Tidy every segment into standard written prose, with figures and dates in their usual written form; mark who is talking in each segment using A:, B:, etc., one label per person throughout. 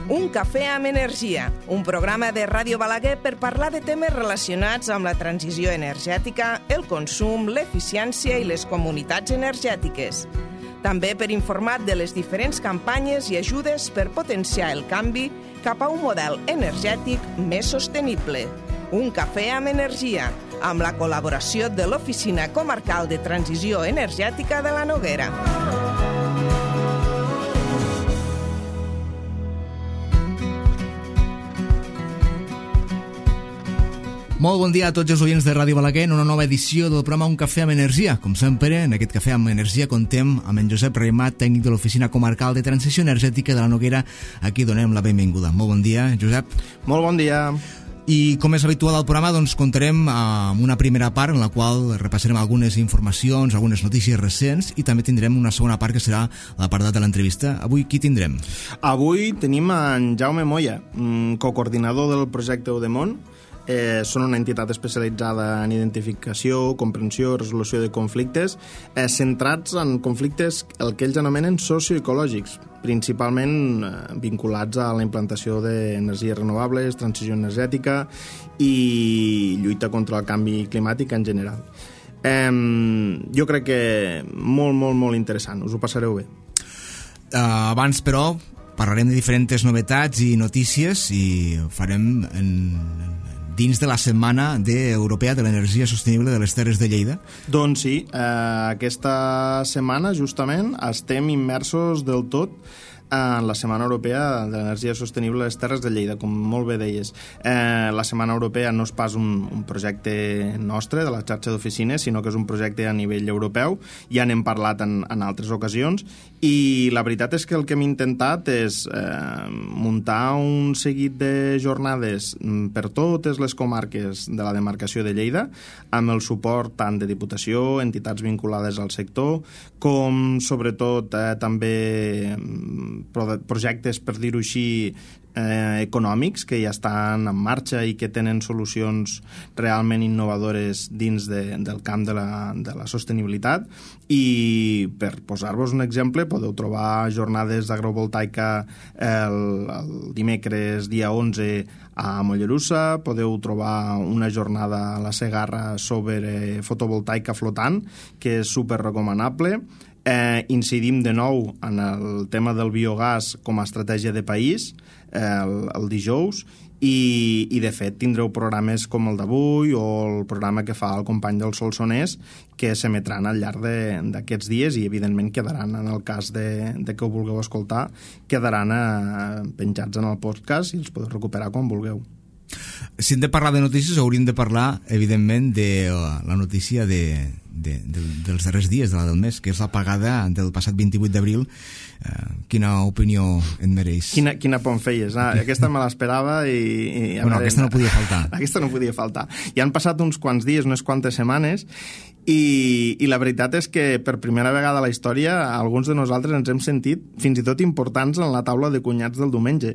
A: Un cafè amb energia, un programa de Ràdio Balaguer per parlar de temes relacionats amb la transició energètica, el consum, l'eficiència i les comunitats energètiques. També per informar de les diferents campanyes i ajudes per potenciar el canvi cap a un model energètic més sostenible. Un cafè amb energia, amb la col·laboració de l'Oficina Comarcal de Transició Energètica de la Noguera.
B: Molt bon dia a tots els oients de Ràdio Balaguer en una nova edició del programa Un cafè amb energia. Com sempre, en aquest cafè amb energia contem amb en Josep Reimat, tècnic de l'Oficina Comarcal de Transició Energètica de la Noguera. Aquí donem la benvinguda. Molt bon dia, Josep.
C: Molt bon dia.
B: I com és habitual al programa, doncs comptarem amb una primera part en la qual repassarem algunes informacions, algunes notícies recents, i també tindrem una segona part que serà l'apartat de l'entrevista. Avui qui tindrem?
C: Avui tenim en Jaume Moya, cocoordinador del projecte Eudemont. Són una entitat especialitzada en identificació, comprensió i resolució de conflictes, centrats en conflictes el que ells anomenen socioecològics, principalment vinculats a la implantació d'energies renovables, transició energètica i lluita contra el canvi climàtic en general. Jo crec que molt interessant, us ho passareu bé.
B: Abans, però, parlarem de diferents novetats i notícies i farem dins de la Setmana Europea de l'Energia Sostenible de les Terres de Lleida.
C: Doncs sí, aquesta setmana justament estem immersos del tot en la Setmana Europea de l'Energia Sostenible de les Terres de Lleida, com molt bé deies. La Setmana Europea no és pas un projecte nostre, de la xarxa d'oficines, sinó que és un projecte a nivell europeu. Ja n'hem parlat en altres ocasions, i la veritat és que el que hem intentat és muntar un seguit de jornades per totes les comarques de la demarcació de Lleida, amb el suport tant de Diputació, entitats vinculades al sector, com sobretot també projectes, per dir-ho així, econòmics que ja estan en marxa i que tenen solucions realment innovadores dins del camp de la sostenibilitat. I per posar-vos un exemple, podeu trobar jornades d'agrovoltaica el dimecres dia 11 a Mollerussa, podeu trobar una jornada a la Segarra sobre fotovoltaica flotant, que és super recomanable. Incidim de nou en el tema del biogàs com a estratègia de país el dijous, i de fet tindreu programes com el d'avui o el programa que fa el company del Solsonès, que s'emetran al llarg d'aquests dies i evidentment quedaran, en el cas de que ho vulgueu escoltar, quedaran penjats en el podcast i els podeu recuperar quan vulgueu.
B: Si hem de parlar de notícies, hauríem de parlar, evidentment, de la notícia dels darrers dies, de la del mes, que és l'apagada del passat 28 d'abril. Quina opinió et mereix?
C: Quina por em feies. Aquesta me l'esperava i...
B: Bueno, aquesta no podia faltar.
C: Aquesta no podia faltar. Ja han passat uns quants dies, unes quantes setmanes, i la veritat és que per primera vegada a la història alguns de nosaltres ens hem sentit fins i tot importants en la taula de cunyats del diumenge.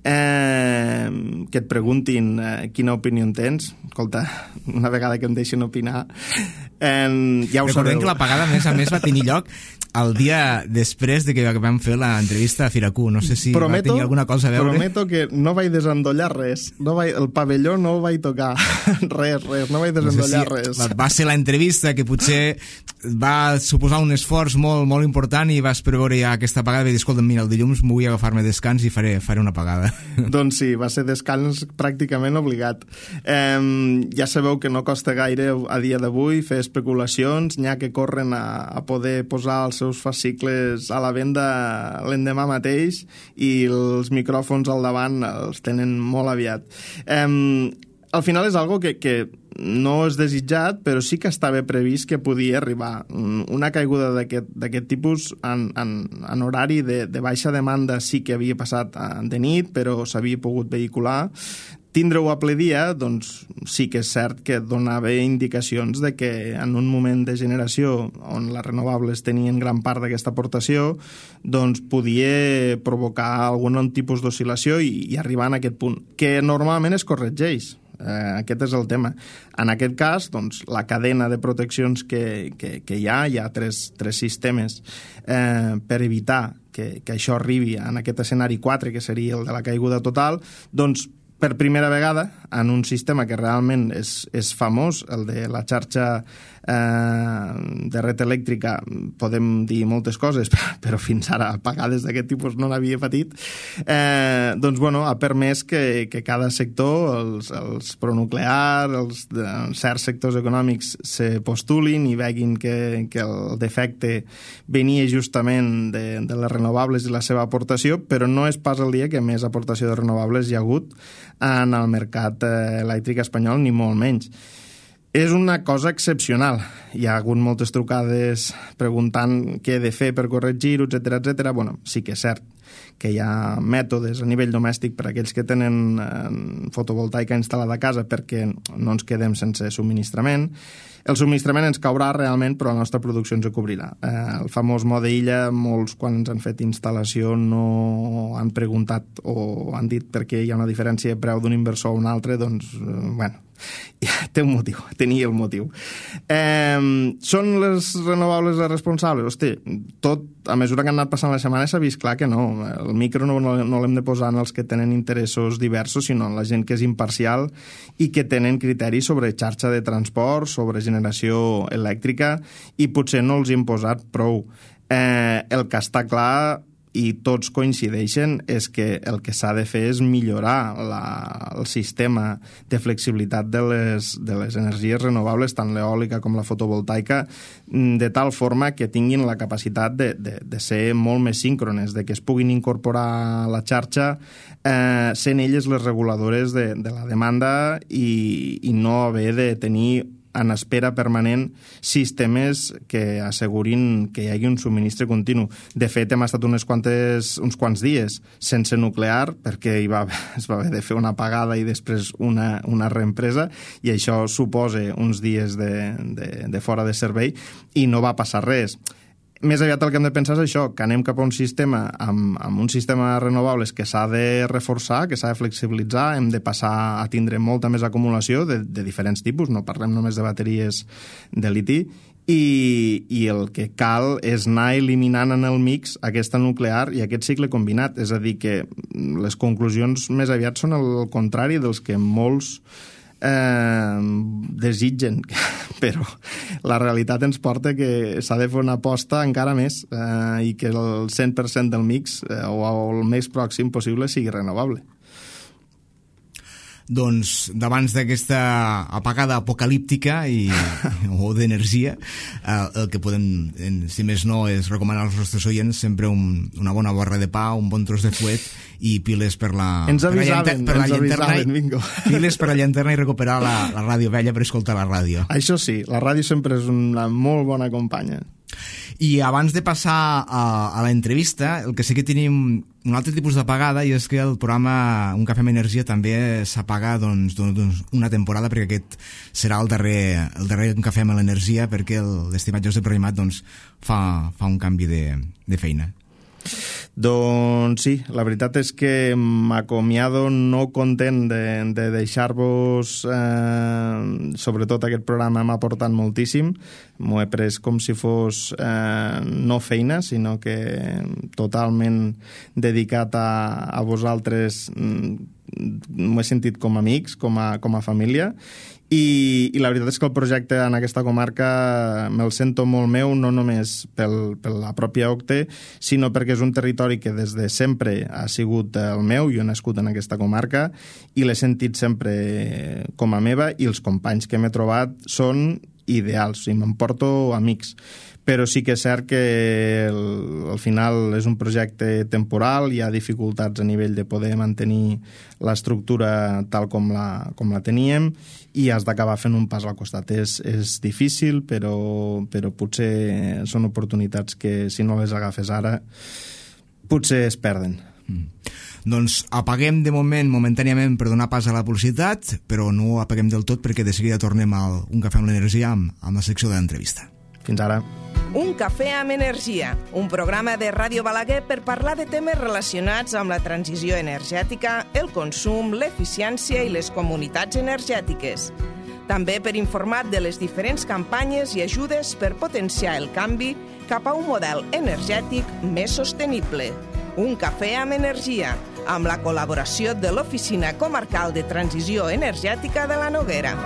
C: Que et preguntin quina opinió en tens. Escolta, una vegada que em deixen opinar, ja ho
B: Recordem
C: sabeu.
B: que l'apagada, a més, va tenir lloc el dia després de que vam fer l'entrevista a Firacú. No sé si va tenir alguna cosa a veure.
C: Prometo que no vaig desendollar res. El pavelló no ho vaig tocar. res, no vaig desendollar res.
B: Va ser l'entrevista que potser va suposar un esforç molt important i vas preveure ja aquesta apagada i dir, escolta, mira, el dilluns m'ho vull agafar-me descans i faré una apagada.
C: Doncs sí, va ser descans pràcticament obligat. Ja sabeu que no costa gaire a dia d'avui fer especulacions, n'hi ha que corren a poder posar els seus fascicles a la venda l'endemà mateix i els micròfons al davant els tenen molt aviat. Al final és algo que no és desitjat, però sí que estava previst que podia arribar. Una caiguda d'aquest tipus en horari de baixa demanda sí que havia passat de nit, però s'havia pogut vehicular. Tindre-ho a ple dia, doncs sí que és cert que donava indicacions de que en un moment de generació on les renovables tenien gran part d'aquesta aportació, doncs podia provocar algun tipus d'oscil·lació i arribar en aquest punt, que normalment es corregeix. Aquest és el tema. En aquest cas, doncs, la cadena de proteccions que hi ha tres sistemes per evitar que això arribi en aquest escenari 4, que seria el de la caiguda total, doncs per primera vegada en un sistema que realment és famós, el de la xarxa de red elèctrica, podem dir moltes coses, però fins ara apagades d'aquest tipus no n'havia patit, doncs bueno, ha permès que cada sector, els pronuclears, certs sectors econòmics se postulin i veguin que el defecte venia justament de les renovables i la seva aportació, però no és pas el dia que més aportació de renovables hi ha hagut en el mercat elèctric espanyol, ni molt menys. És una cosa excepcional. Hi ha hagut moltes trucades preguntant què he de fer per corregir-ho, etc. Bueno, sí que és cert que hi ha mètodes a nivell domèstic per a aquells que tenen fotovoltaica instal·lada a casa perquè no ens quedem sense subministrament. El subministrament ens caurà realment, però la nostra producció ens ho cobrirà. El famós mode illa, molts quan ens han fet instal·lació no han preguntat o han dit perquè hi ha una diferència de preu d'un inversor a un altre, doncs, bueno, té un motiu, tenia el motiu. Són les renovables les responsables? Hosti, tot, a mesura que han anat passant la setmana s'ha vist clar que no. El micro no l'hem de posar en els que tenen interessos diversos, sinó en la gent que és imparcial i que tenen criteris sobre xarxa de transport, sobre generació elèctrica, i potser no els hem posat prou. El que està clar, i tots coincideixen, és que el que s'ha de fer és millorar el sistema de flexibilitat de les energies renovables, tant l'eòlica com la fotovoltaica, de tal forma que tinguin la capacitat de ser molt més síncrones, de que es puguin incorporar a la xarxa sent elles les reguladores de la demanda i no haver de tenir en espera permanent sistemes que assegurin que hi hagi un subministre continu. De fet, hem estat uns quants dies sense nuclear perquè es va haver de fer una apagada i després una reempresa, i això suposa uns dies de fora de servei i no va passar res. Més aviat el que hem de pensar és això, que anem cap a un sistema amb un sistema de renovables que s'ha de reforçar, que s'ha de flexibilitzar, hem de passar a tindre molta més acumulació de diferents tipus, no parlem només de bateries de liti, i el que cal és anar eliminant en el mix aquesta nuclear i aquest cicle combinat, és a dir, que les conclusions més aviat són el contrari dels que molts desitgen, però la realitat ens porta que s'ha de fer una aposta encara més i que el 100% del mix o el més pròxim possible sigui renovable.
B: Doncs davant d'aquesta apagada apocalíptica o d'energia, el que podem, si més no, és recomanar als nostres oients sempre una bona barra de pa, un bon tros de fuet i piles per la llanterna,
C: bingo.
B: Piles per la llanterna i recuperar la ràdio vella per escoltar la ràdio.
C: Això sí, la ràdio sempre és una molt bona companya.
B: I abans de passar a l'entrevista, el que sí que tenim un altre tipus d'apagada, i és que el programa Un Cafè amb Energia també s'apaga una temporada, perquè aquest serà el darrer Un Cafè amb l'Energia, perquè l'estimat Josep Raïmat fa un canvi de feina.
C: Doncs sí, la veritat és que m'acomiado no content de deixar-vos, sobretot aquest programa m'ha aportat moltíssim, m'ho he pres com si fos no feina, sinó que totalment dedicat a vosaltres, m'ho he sentit com a amics, com a família, i la veritat és que el projecte en aquesta comarca me'l sento molt meu, no només per la pròpia OCTE, sinó perquè és un territori que des de sempre ha sigut el meu, jo he nascut en aquesta comarca i l'he sentit sempre com a meva, i els companys que m'he trobat són ideals, i m'emporto amics. Però sí que és cert que al final és un projecte temporal, hi ha dificultats a nivell de poder mantenir l'estructura tal com la teníem, i has d'acabar fent un pas al costat. És difícil, però potser són oportunitats que si no les agafes ara potser es perden.
B: Doncs apaguem de momentàniament per donar pas a la publicitat, però no apaguem del tot, perquè de seguida tornem a Un Cafè amb l'Energia amb la secció de l'entrevista.
C: Fins ara.
A: Un cafè amb energia, un programa de Ràdio Balaguer per parlar de temes relacionats amb la transició energètica, el consum, l'eficiència i les comunitats energètiques. També per informar de les diferents campanyes i ajudes per potenciar el canvi cap a un model energètic més sostenible. Un cafè amb energia, amb la col·laboració de l'Oficina Comarcal de Transició Energètica de la Noguera.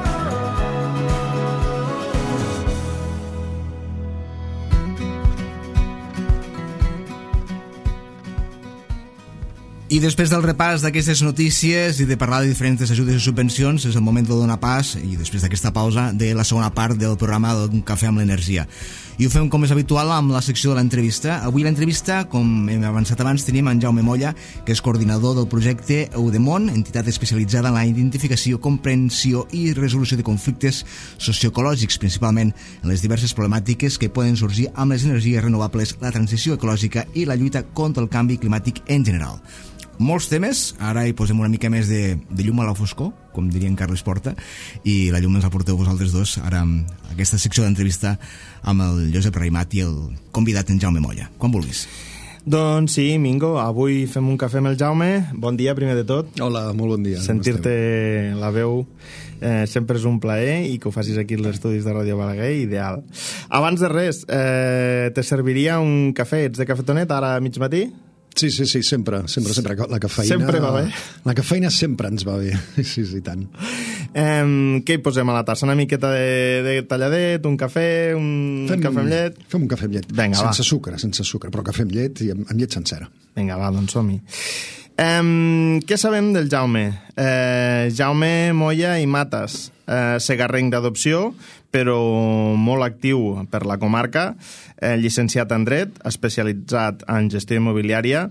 B: I després del repàs d'aquestes notícies i de parlar de diferents ajudes i subvencions, és el moment de donar pas, i després d'aquesta pausa, de la segona part del programa d'un cafè amb l'energia. I ho fem com és habitual amb la secció de l'entrevista. Avui l'entrevista, com hem avançat abans, tenim en Jaume Molla, que és coordinador del projecte Eudemon, entitat especialitzada en la identificació, comprensió i resolució de conflictes socioecològics, principalment en les diverses problemàtiques que poden sorgir amb les energies renovables, la transició ecològica i la lluita contra el canvi climàtic en general. Molts temes, ara hi posem una mica més de llum a la foscor, com diria en Carles Porta, i la llum ens la porteu vosaltres dos, ara amb aquesta secció d'entrevista amb el Josep Raimat i el convidat en Jaume Molla. Quan vulguis.
C: Doncs sí, Mingo, avui fem un cafè amb el Jaume. Bon dia, primer de tot.
D: Hola, molt bon dia.
C: Sentir-te la veu sempre és un plaer, i que ho facis aquí als estudis de Ràdio Balaguer, ideal. Abans de res, te serviria un cafè? Ets de cafetonet ara a mig matí?
D: Sí, sempre. La cafeïna...
C: Sempre va bé.
D: La cafeïna sempre ens va bé. Sí, tant.
C: Què hi posem a la tassa? Una miqueta de talladet, un cafè, cafè amb llet?
D: Fem un cafè amb llet.
C: Vinga,
D: sense sucre, però cafè amb llet i amb llet sencera.
C: Vinga, va, doncs som-hi. Què sabem del Jaume? Jaume Molla i Matas, segarrenc d'adopció, però molt actiu per la comarca, llicenciat en dret, especialitzat en gestió immobiliària,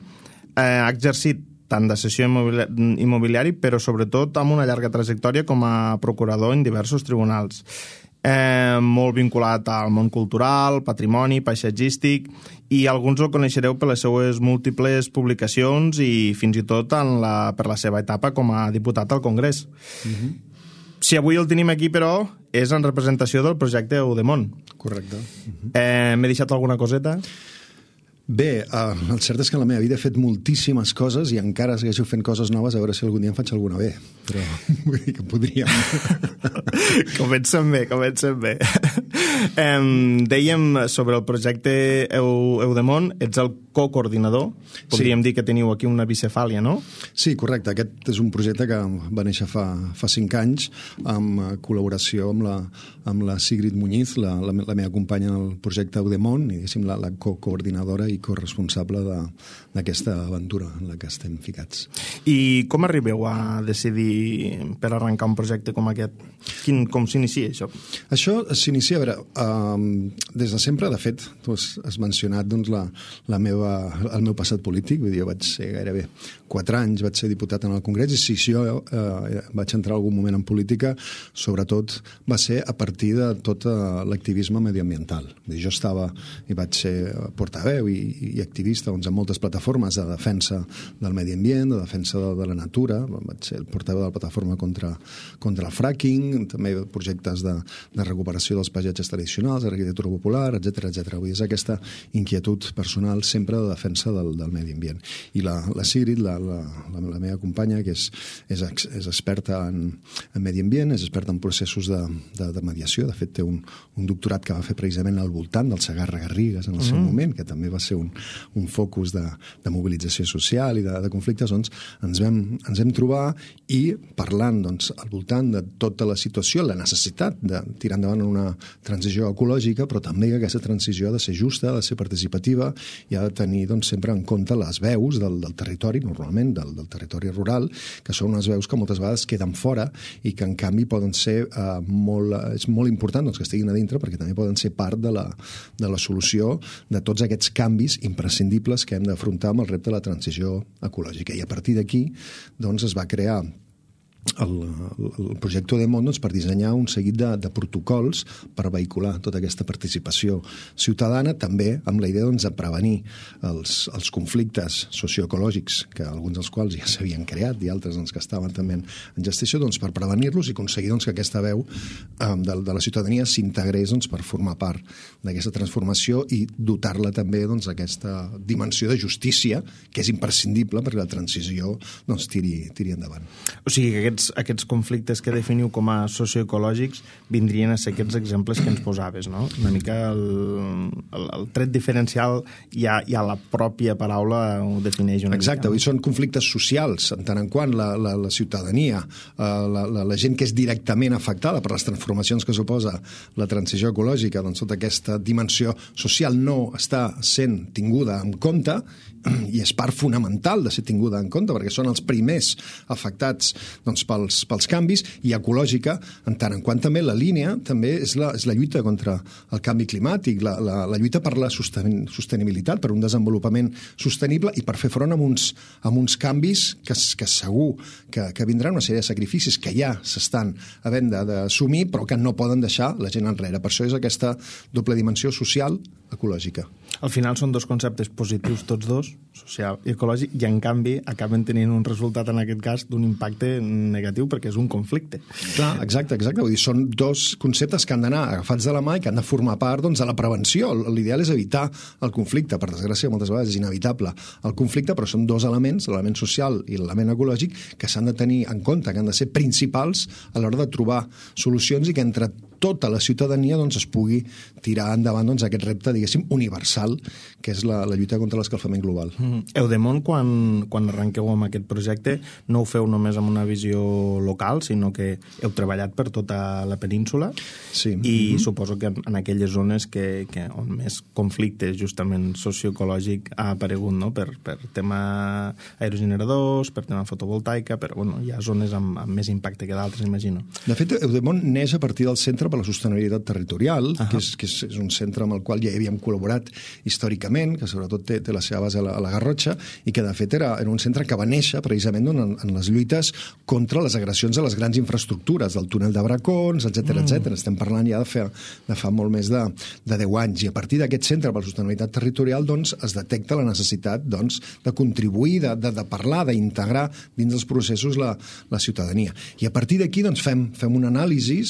C: ha exercit tant d'assessor immobiliari, però sobretot amb una llarga trajectòria com a procurador en diversos tribunals. Molt vinculat al món cultural, patrimoni, paisatgístic, i alguns el coneixereu per les seues múltiples publicacions i fins i tot per la seva etapa com a diputat al Congrés. Si avui el tenim aquí, però, és en representació del projecte Eudemon.
D: Correcte.
C: M'he deixat alguna coseta?
D: Bé, el cert és que en la meva vida he fet moltíssimes coses i encara segueixo fent coses noves, a veure si algun dia em faig alguna bé. Però vull dir que podríem.
C: Comencem bé. Dèiem sobre el projecte Eudemon, ets el co-coordinador. Podríem dir que teniu aquí una bicefàlia, no?
D: Sí, correcte. Aquest és un projecte que va néixer fa 5 anys amb col·laboració amb la Sigrid Muñiz, la meva companya en el projecte Eudemon, i diguéssim la co-coordinadora i corresponsable d'aquesta aventura en la que estem ficats.
C: I com arribeu a decidir per arrencar un projecte com aquest? Com s'inicia això?
D: Això s'inicia, a veure, des de sempre, de fet, tu has mencionat doncs, el meu passat polític, vull dir, jo vaig ser gairebé 4 anys, vaig ser diputat en el Congrés, i si jo vaig entrar algun moment en política, sobretot va ser a partir de tot l'activisme mediambiental. Vull dir, jo estava i vaig ser portaveu i activista doncs, en moltes plataformes de defensa del medi ambient, de defensa de la natura. Vaig ser el portaveu de la plataforma contra el fracking, també projectes de recuperació dels paisatges tradicionals, arquitectura popular, etc. Vull dir, és aquesta inquietud personal sempre de defensa del medi ambient. I la Sigrid, la meva companya, que és experta en medi ambient, és experta en processos de mediació. De fet, té un doctorat que va fer precisament al voltant del Segarra-Garrigues en el seu moment, que també va ser un focus de mobilització social i de conflictes. Doncs ens vam trobar i parlant doncs, al voltant de tota la situació, la necessitat de tirar endavant una transició ecològica, però també que aquesta transició ha de ser justa, ha de ser participativa i ha de tenir doncs, sempre en compte les veus del territori, normalment del territori rural, que són unes veus que moltes vegades queden fora i que en canvi poden ser és molt important doncs, que estiguin a dintre, perquè també poden ser part de la solució de tots aquests canvis imprescindibles que hem d'afrontar amb el repte de la transició ecològica. I a partir d'aquí doncs, es va crear el projecte Eudemon per dissenyar un seguit de protocols per vehicular tota aquesta participació ciutadana, també amb la idea de prevenir els conflictes socioecològics, que alguns dels quals ja s'havien creat i altres que estaven també en gestació, per prevenir-los i aconseguir que aquesta veu de la ciutadania s'integrés per formar part d'aquesta transformació i dotar-la també d'aquesta dimensió de justícia que és imprescindible perquè la transició tiri endavant.
C: O sigui que aquest aquests conflictes que definiu com a socioecològics vindrien a ser aquests exemples que ens posaves, no? Una mica el tret diferencial ja la pròpia paraula ho defineix una mica.
D: Exacte, són conflictes socials, en tant en quant la ciutadania, la gent que és directament afectada per les transformacions que suposa la transició ecològica, doncs tota aquesta dimensió social no està sent tinguda en compte, i és part fonamental de ser tinguda en compte, perquè són els primers afectats doncs, pels canvis, i ecològica, en tant en quant també la línia també és la lluita contra el canvi climàtic, la lluita per la sostenibilitat, per un desenvolupament sostenible i per fer front a uns canvis que segur que vindran una sèrie de sacrificis que ja s'estan havent d'assumir, però que no poden deixar la gent enrere. Per això és aquesta doble dimensió social ecològica.
C: Al final són dos conceptes positius tots dos, social i ecològic, i en canvi acaben tenint un resultat en aquest cas d'un impacte negatiu perquè és un conflicte.
D: Clar, exacte. Vull dir, són dos conceptes que han d'anar agafats de la mà i que han de formar part doncs, de la prevenció. L'ideal és evitar el conflicte. Per desgràcia, moltes vegades és inevitable el conflicte, però són dos elements, l'element social i l'element ecològic, que s'han de tenir en compte, que han de ser principals a l'hora de trobar solucions i que entre tota la ciutadania doncs, es pugui tirar endavant doncs, aquest repte, diguéssim, universal, que és la lluita contra l'escalfament global.
C: Eudemont, quan arrenqueu amb aquest projecte, no ho feu només amb una visió local, sinó que heu treballat per tota la península,
D: sí.
C: I suposo que en aquelles zones on més conflicte justament socioecològic ha aparegut, no? per tema aerogeneradors, per tema fotovoltaica, però bueno, hi ha zones amb més impacte que d'altres, imagino.
D: De fet, Eudemont neix a partir del Centre per la Sostenibilitat Territorial, que és un centre amb el qual ja havíem col·laborat històricament, que sobretot té la seva base a la Garrotxa, i que de fet era un centre que va néixer precisament en les lluites contra les agressions a les grans infraestructures, del túnel de Bracons, etc. Estem parlant ja de fa molt més de 10 anys, i a partir d'aquest Centre per la Sostenibilitat Territorial doncs, es detecta la necessitat doncs, de contribuir, de parlar, d'integrar dins dels processos la ciutadania. I a partir d'aquí doncs, fem un anàlisi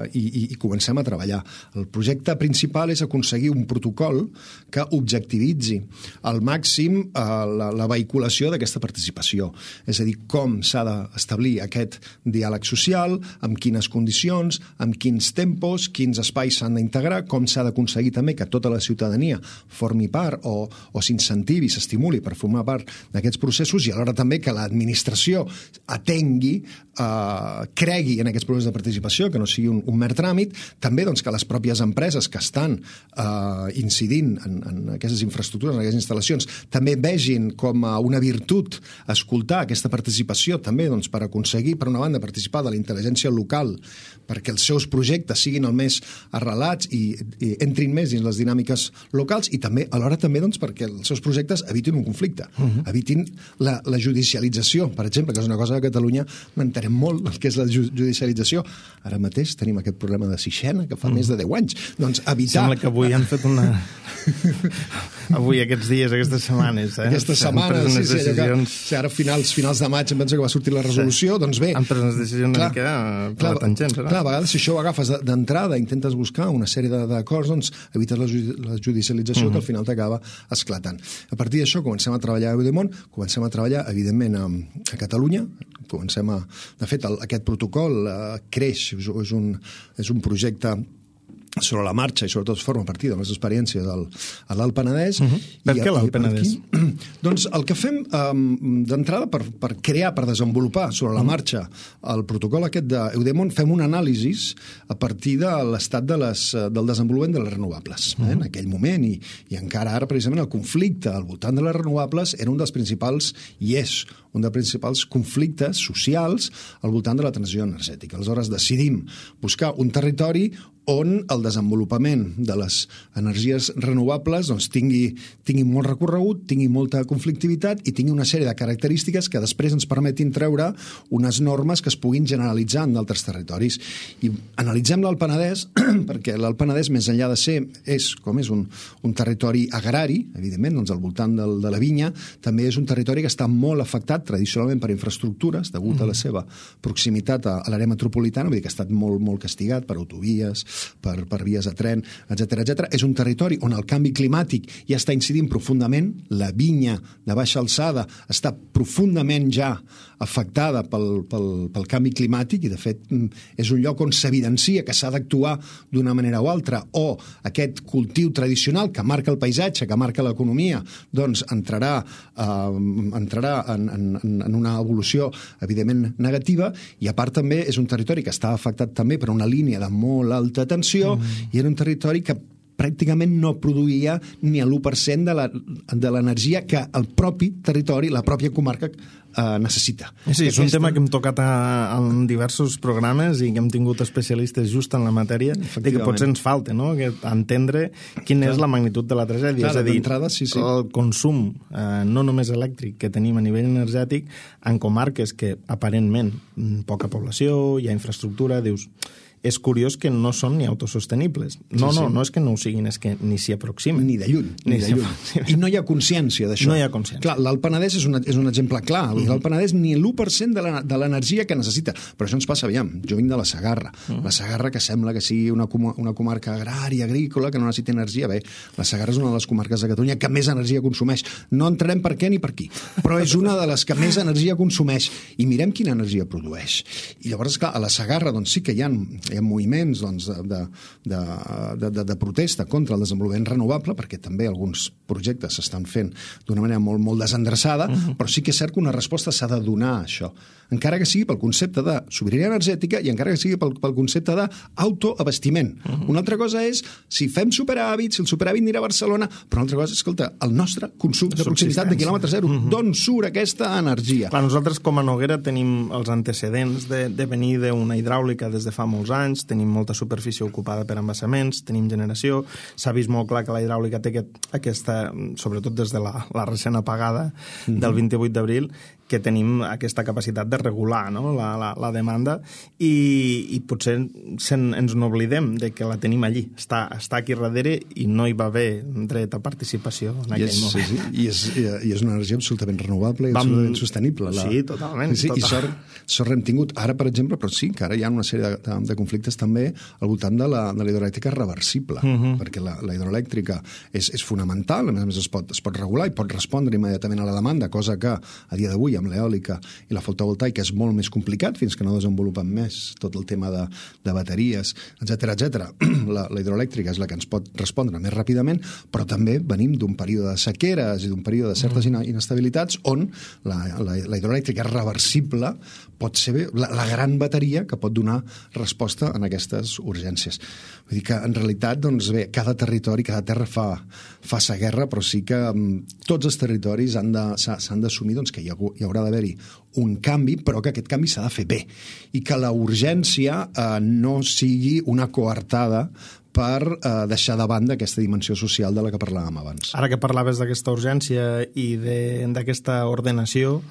D: i comencem a treballar. El projecte principal és aconseguir un protocol que objectivitzi al màxim la vehiculació d'aquesta participació. És a dir, com s'ha d'establir aquest diàleg social, amb quines condicions, amb quins tempos, quins espais s'han d'integrar, com s'ha d'aconseguir també que tota la ciutadania formi part o s'incentivi, s'estimuli per formar part d'aquests processos, i alhora també que l'administració atengui, cregui en aquests processos de participació, que no sigui un mer tràmit, també doncs, que les pròpies empreses que estan incidint en aquestes infraestructures, en aquestes instal·lacions, també vegin com a una virtut escoltar aquesta participació, també doncs, per aconseguir, per una banda, participar de la intel·ligència local, perquè els seus projectes siguin el més arrelats i entrin més dins les dinàmiques locals, i també, alhora també doncs, perquè els seus projectes evitin un conflicte, evitin la judicialització, per exemple, que és una cosa que a Catalunya m'entenem molt, el que és la judicialització. Ara mateix tenim aquest problema de Sixena, que fa més de 10 anys. Doncs evitar...
C: Sembla que avui han fet una... Avui, aquests dies, aquestes setmanes...
D: Aquestes setmanes, sí, ara finals de maig em penso que va sortir la resolució, doncs bé...
C: Han pres unes decisions una mica per la tangent,
D: Clar, a vegades si això ho agafes d'entrada, intentes buscar una sèrie d'acords, doncs evites la judicialització que al final t'acaba esclatant. A partir d'això comencem a treballar a Eudemont, comencem a treballar, evidentment, a Catalunya, de fet, aquest protocol creix, és un projecte sobre la marxa i sobretot forma part de les experiències a l'Alt Penedès.
C: Per què l'Alt Penedès?
D: Doncs el que fem d'entrada per crear, per desenvolupar sobre la marxa el protocol aquest d'Eudemont, fem un anàlisi a partir de l'estat del desenvolupament de les renovables. En aquell moment, i encara ara precisament el conflicte al voltant de les renovables era un dels principals, i és un dels principals conflictes socials al voltant de la transició energètica. Aleshores decidim buscar un territori on el desenvolupament de les energies renovables doncs, tingui molt recorregut, tingui molta conflictivitat i tingui una sèrie de característiques que després ens permetin treure unes normes que es puguin generalitzar en d'altres territoris. I analitzem l'Alt Penedès perquè l'Alt Penedès, més enllà de ser, és un territori agrari, evidentment, doncs al voltant de la vinya, també és un territori que està molt afectat tradicionalment per infraestructures, degut a la seva proximitat a l'àrea metropolitana, vull dir que ha estat molt, molt castigat per autovies, per vies de tren, etc. És un territori on el canvi climàtic ja està incidint profundament, la vinya de baixa alçada està profundament ja afectada pel canvi climàtic i, de fet, és un lloc on s'evidencia que s'ha d'actuar d'una manera o altra, o aquest cultiu tradicional que marca el paisatge, que marca l'economia, doncs entrarà en una evolució, evidentment, negativa, i a part també és un territori que està afectat també per una línia de molt alta tensió i era un territori que pràcticament no produïa ni l'1% de l'energia que el propi territori, la pròpia comarca necessita.
C: Sí, és un tema que hem tocat en diversos programes i que hem tingut especialistes just en la matèria, de que potser ens falta, no?, entendre quina és la magnitud de la tragèdia. És a dir, el consum, no només elèctric, que tenim a nivell energètic, en comarques que aparentment poca població, hi ha infraestructura, dius... És curiós que no són ni autosostenibles. No és que no ho siguin, és que ni s'hi aproximen.
D: Ni de lluny. I no hi ha consciència d'això.
C: No hi ha consciència.
D: Clar, l'Alt Penedès és un exemple clar. L'Alt Penedès ni l'1% de l'energia que necessita. Però això ens passa, aviam, jo vinc de la Segarra. La Segarra, que sembla que sigui una comarca agrària, agrícola, que no necessita energia. Bé, la Segarra és una de les comarques de Catalunya que més energia consumeix. No entrarem per què ni per qui, però és una de les que més energia consumeix. I mirem quina energia produeix. I llavors, clar, a la Segarra doncs, sí que hi ha moviments doncs, de protesta contra el desenvolupament renovable, perquè també alguns projectes s'estan fent d'una manera molt, molt desendreçada, però sí que és cert que una resposta s'ha de donar a això. Encara que sigui pel concepte de sobirania energètica i encara que sigui pel concepte d'autoabastiment. Una altra cosa és si fem superàvit, si el superàvit anirà a Barcelona, però una altra cosa és, escolta, el nostre consum de proximitat de quilòmetre zero, d'on surt aquesta energia?
C: Clar, nosaltres com a Noguera tenim els antecedents de venir d'una hidràulica des de fa molts anys, tenim molta superfície ocupada per embassaments, tenim generació, s'ha vist molt clar que la hidràulica té aquesta, sobretot des de la recent apagada del 28 d'abril, que tenim aquesta capacitat de regular, no?, la demanda i potser ens n'oblidem de que la tenim allí. Està aquí darrere i no hi va haver dret a participació en aquell moment.
D: Sí. I és una energia absolutament renovable i absolutament sostenible.
C: Sí, totalment.
D: Sí, i sort hem tingut. Ara, per exemple, però sí, que ara hi ha una sèrie de conflictes també al voltant de la hidroelèctrica reversible, perquè la hidroelèctrica és fonamental, a més es pot regular i pot respondre immediatament a la demanda, cosa que a dia d'avui amb l'eòlica i la fotovoltaica és molt més complicat fins que no desenvolupen més tot el tema de bateries, etc. La hidroelèctrica és la que ens pot respondre més ràpidament, però també venim d'un període de sequeres i d'un període de certes inestabilitats on la hidroelèctrica reversible pot ser la gran bateria que pot donar resposta en aquestes urgències. Vull dir que, en realitat, doncs bé, cada territori, cada terra fa sa guerra, però sí que tots els territoris s'han d'assumir doncs, que hi haurà d'haver-hi un canvi, però que aquest canvi s'ha de fer bé i que la urgència no sigui una coartada per deixar de banda aquesta dimensió social de la que parlàvem abans.
C: Ara que parlaves d'aquesta urgència i d'aquesta ordenació,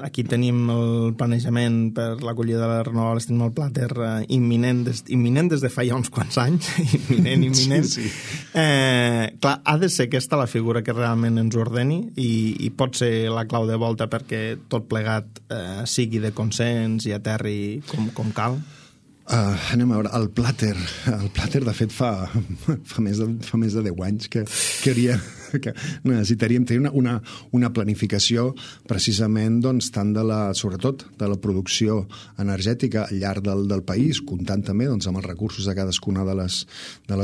C: aquí tenim el planejament per l'acollida de les renovables, tenim el plàter imminent des de fa ja uns quants anys, imminent. Sí. Clar, ha de ser aquesta la figura que realment ens ordeni i pot ser la clau de volta perquè tot plegat sigui de consens i aterri com cal?
D: Anem a veure, el plàter de fet fa més de 10 anys que necessitaríem tenir una planificació precisament doncs, tant sobretot de la producció energètica al llarg del país, comptant també doncs, amb els recursos de cadascuna de les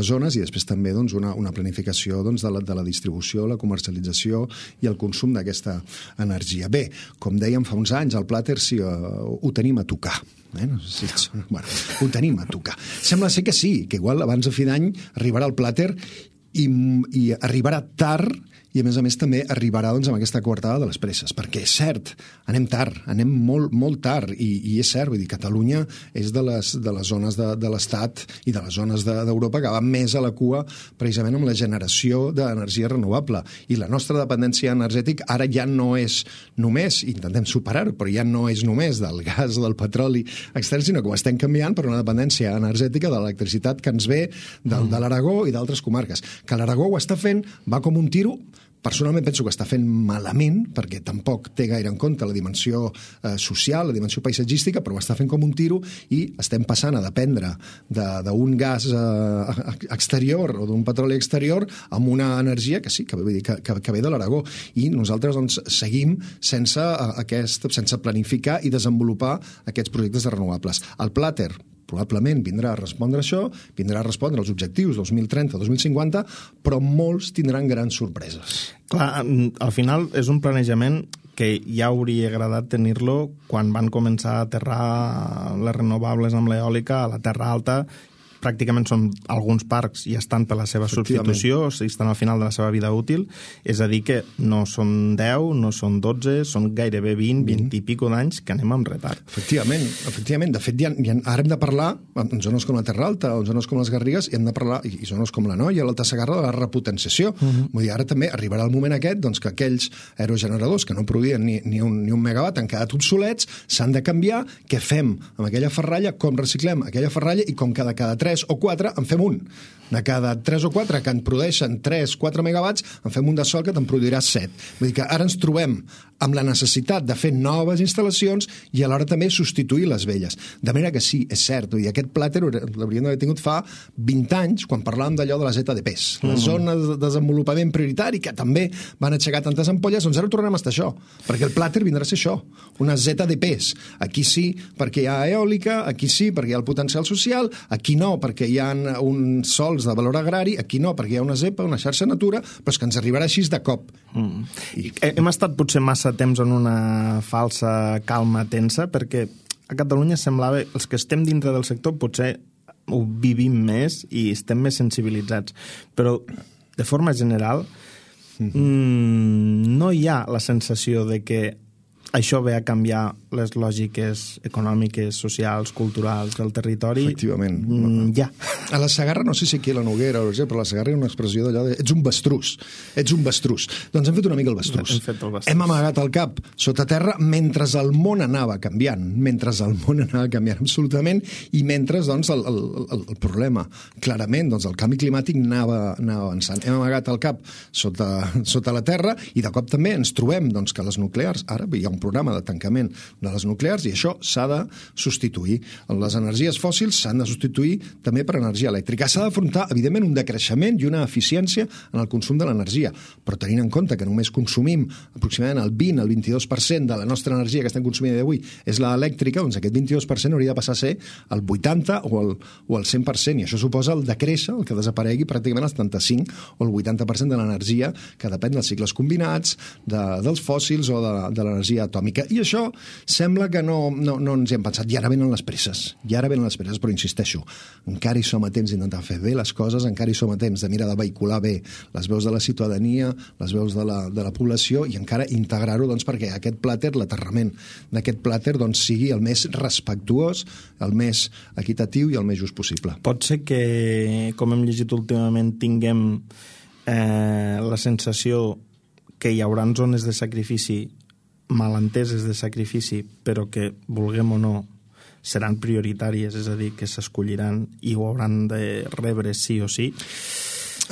D: zones i després també doncs, una planificació doncs, de la distribució, la comercialització i el consum d'aquesta energia. Bé, com dèiem fa uns anys, el plàter sí, ho tenim a tocar. No sé si ho tenim a tocar. Sembla ser que sí, que igual abans de fi d'any arribarà el plàter i arribarà tard i, a més també, arribarà doncs, amb aquesta coartada de les presses, perquè és cert, anem tard, anem molt, molt tard, i és cert, vull dir, Catalunya és de les zones de l'Estat i de les zones d'Europa que va més a la cua precisament amb la generació d'energia renovable, i la nostra dependència energètica ara ja no és només, intentem superar-ho, però ja no és només del gas, del petroli extern, sinó que ho estem canviant per una dependència energètica de l'electricitat que ens ve de l'Aragó i d'altres comarques. Que l'Aragó ho està fent, va com un tiro, personalment penso que està fent malament, perquè tampoc té gaire en compte la dimensió social, la dimensió paisatgística, però ho està fent com un tiro i estem passant a dependre d'un gas exterior o d'un petroli exterior amb una energia que sí, que ve de l'Aragó. I nosaltres doncs, seguim sense planificar i desenvolupar aquests projectes de renovables. El Plater probablement vindrà a respondre a això, vindrà a respondre als objectius 2030-2050, però molts tindran grans sorpreses.
C: Clar, al final és un planejament que ja hauria agradat tenir-lo quan van començar a aterrar les renovables amb l'eòlica a la Terra Alta. Pràcticament són alguns parcs i estan per la seva substitució, o sigui, estan al final de la seva vida útil, és a dir que no són 10, no són 12, són gairebé 20 i pico d'anys que anem amb retard.
D: Efectivament. De fet, ara hem de parlar, en zones com la Terra Alta, en zones com les Garrigues, i hem de parlar, i zones com la Noia, l'Alta Segarra, de la repotenciació. Vull dir, ara també arribarà el moment aquest doncs, que aquells aerogeneradors que no produïen ni un megawatt han quedat obsolets, s'han de canviar. Què fem amb aquella ferralla? Com reciclem aquella ferralla? I com cada 3 o 4 en fem un. De cada 3 o 4 que en produeixen 3-4 megawatts, en fem un de sol que te'n produirà 7. Vull dir que ara ens trobem amb la necessitat de fer noves instal·lacions i alhora també substituir les velles. De manera que sí, és cert, i aquest Plater l'hauríem d'haver tingut fa 20 anys, quan parlàvem d'allò de les ZDPs, les zones de desenvolupament prioritari, que també van aixecar tantes ampolles, doncs ara tornem a estar això, perquè el Plater vindrà a ser això, unes ZDPs. Aquí sí, perquè hi ha eòlica, aquí sí, perquè hi ha el potencial social, aquí no, perquè hi ha uns sols de valor agrari, aquí no, perquè hi ha una ZEPA, una xarxa natura, però és que ens arribarà així de cop.
C: Hem estat potser massa temps en una falsa calma tensa, perquè a Catalunya semblava, els que estem dintre del sector potser ho vivim més i estem més sensibilitzats, però de forma general no hi ha la sensació de que això ve a canviar les lògiques econòmiques, socials, culturals del territori.
D: Efectivament.
C: Ja.
D: A la Segarra, no sé si aquí a la Noguera, però a la Segarra hi ha una expressió d'allò de ets un bastrús. Doncs hem fet una mica el bastrús. Hem amagat el cap sota terra mentre el món anava canviant. Absolutament, i mentre doncs, el problema, clarament, doncs, el canvi climàtic anava avançant. Hem amagat el cap sota la terra i de cop també ens trobem doncs, que les nuclears, ara hi ha un programa de tancament de les nuclears i això s'ha de substituir. Les energies fòssils s'han de substituir també per energia elèctrica. S'ha d'afrontar, evidentment, un decreixement i una eficiència en el consum de l'energia, però tenint en compte que només consumim aproximadament el 20 al 22% de la nostra energia que estem consumint d'avui és l'elèctrica, doncs aquest 22% hauria de passar a ser el 80 o el 100%, i això suposa el decréixer, el que desaparegui pràcticament el 75 o el 80% de l'energia que depèn dels cicles combinats, dels fòssils o de l'energia atòmica. I això sembla que no ens hi hem pensat. I ara venen les presses, però insisteixo, encara hi som a temps d'intentar fer bé les coses, encara hi som a temps de mirar de vehicular bé les veus de la ciutadania, les veus de la població i encara integrar-ho doncs, perquè aquest Plater, l'aterrament d'aquest Plater doncs, sigui el més respectuós, el més equitatiu i el més just possible.
C: Pot ser que, com hem llegit últimament, tinguem la sensació que hi haurà zones de sacrifici malenteses de sacrifici, però que, vulguem o no, seran prioritàries, és a dir, que s'escolliran i ho hauran de rebre sí o sí.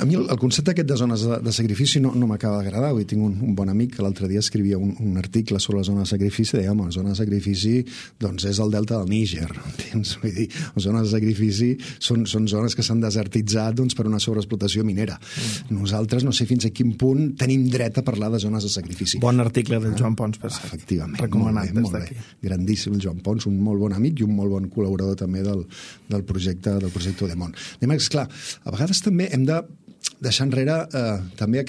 D: A mi el concepte aquest de zones de sacrifici no m'acaba d'agradar. Tinc un bon amic que l'altre dia escrivia un article sobre la zona de sacrifici, deia, home, la zona de sacrifici doncs és el delta del Níger, entens? Vull dir, les zones de sacrifici són zones que s'han desertitzat doncs, per una sobreexplotació minera. Nosaltres no sé fins a quin punt tenim dret a parlar de zones de sacrifici.
C: Bon article del Joan Pons, per cert.
D: Efectivament.
C: Recomanat des d'aquí.
D: Grandíssim el Joan Pons, un molt bon amic i un molt bon col·laborador també del projecte Demont. Esclar, a vegades també hem de deixar enrere també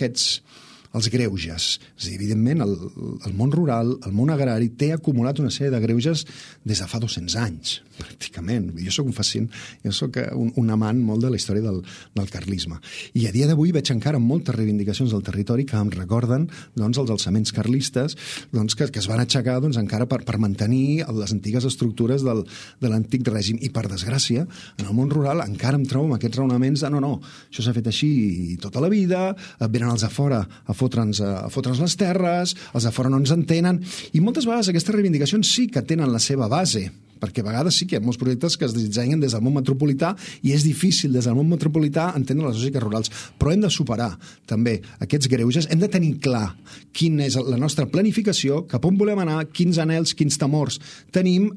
D: els greuges. És a dir, evidentment, el món rural, el món agrari, té acumulat una sèrie de greuges des de fa 200 anys, pràcticament. Jo soc un fascin, jo soc un amant molt de la història del carlisme. I a dia d'avui veig encara moltes reivindicacions del territori que em recorden doncs, els alçaments carlistes doncs, que es van aixecar doncs, encara per mantenir les antigues estructures de l'antic règim. I, per desgràcia, en el món rural encara em trobo amb aquests raonaments de no, això s'ha fet així tota la vida, venen els de fora a fotre'ns les terres, els de fora no ens entenen, i moltes vegades aquestes reivindicacions sí que tenen la seva base, perquè a vegades sí que hi ha molts projectes que es dissenyen des del món metropolità i és difícil des del món metropolità entendre les lògiques rurals, però hem de superar també aquests greuges, hem de tenir clar quina és la nostra planificació, cap on volem anar, quins anhels, quins temors tenim,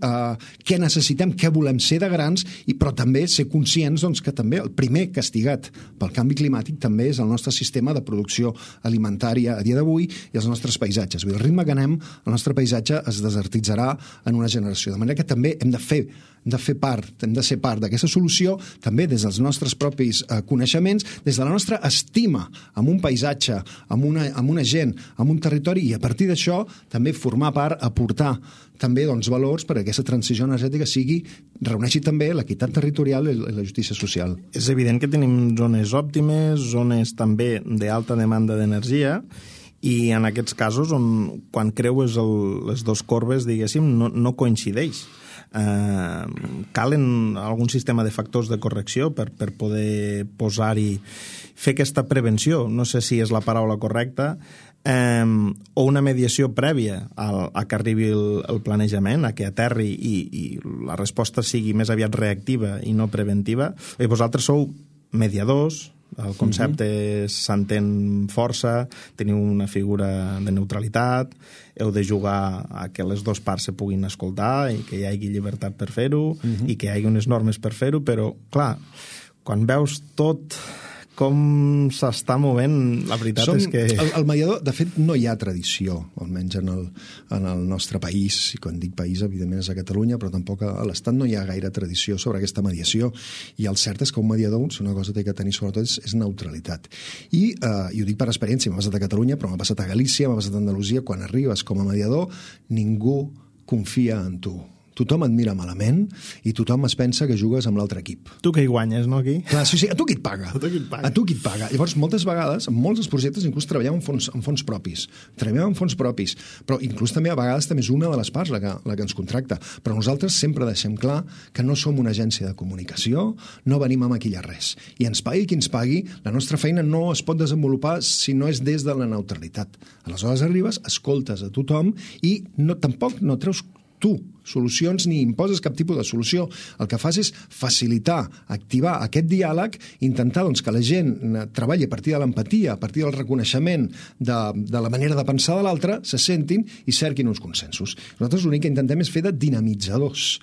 D: què necessitem, què volem ser de grans, però també ser conscients doncs, que també el primer castigat pel canvi climàtic també és el nostre sistema de producció alimentària a dia d'avui i els nostres paisatges. Vull dir, el ritme que anem, el nostre paisatge es desertitzarà en una generació. De manera que també hem de ser part d'aquesta solució, també des dels nostres propis coneixements, des de la nostra estima amb un paisatge, amb una gent, amb un territori, i a partir d'això també formar part, aportar també doncs, valors perquè aquesta transició energètica reuneixi també l'equitat territorial i la justícia social.
C: És evident que tenim zones òptimes, zones també d'alta demanda d'energia, i en aquests casos quan creues les dues corbes, diguéssim, no coincideix. Calen algun sistema de factors de correcció per poder posar-hi, fer aquesta prevenció, no sé si és la paraula correcta, o una mediació prèvia a que arribi el planejament, a que aterri i la resposta sigui més aviat reactiva i no preventiva. I vosaltres sou mediadors, el concepte s'entén força, teniu una figura de neutralitat, heu de jugar a que les dues parts se puguin escoltar i que hi hagi llibertat per fer-ho i que hi hagi unes normes per fer-ho, però, clar, quan veus tot com s'està movent, la veritat és que...
D: El mediador, de fet, no hi ha tradició, almenys en el nostre país, i quan dic país, evidentment és a Catalunya, però tampoc a l'Estat no hi ha gaire tradició sobre aquesta mediació, i el cert és que un mediador, si una cosa té que tenir sobretot, és neutralitat. I ho dic per experiència, m'ha passat a Catalunya, però m'ha passat a Galícia, m'ha passat a Andalusia, quan arribes com a mediador, ningú confia en tu. Tothom et mira malament i tothom es pensa que jugues amb l'altre equip.
C: Tu que hi guanyes, no, aquí?
D: Clar, sí, a tu qui et paga? A tu qui et paga. Llavors, moltes vegades, en molts dels projectes, inclús treballem en fons propis. Però inclús també a vegades també és una de les parts la que ens contracta. Però nosaltres sempre deixem clar que no som una agència de comunicació, no venim a maquillar res. I ens pagui qui ens pagui, la nostra feina no es pot desenvolupar si no és des de la neutralitat. Aleshores arribes, escoltes a tothom i tampoc no treus tu solucions ni imposes cap tipus de solució. El que fas és facilitar, activar aquest diàleg, intentar doncs, que la gent treballi a partir de l'empatia, a partir del reconeixement de la manera de pensar de l'altre, se sentin i cerquin uns consensos. Nosaltres l'únic que intentem és fer de dinamitzadors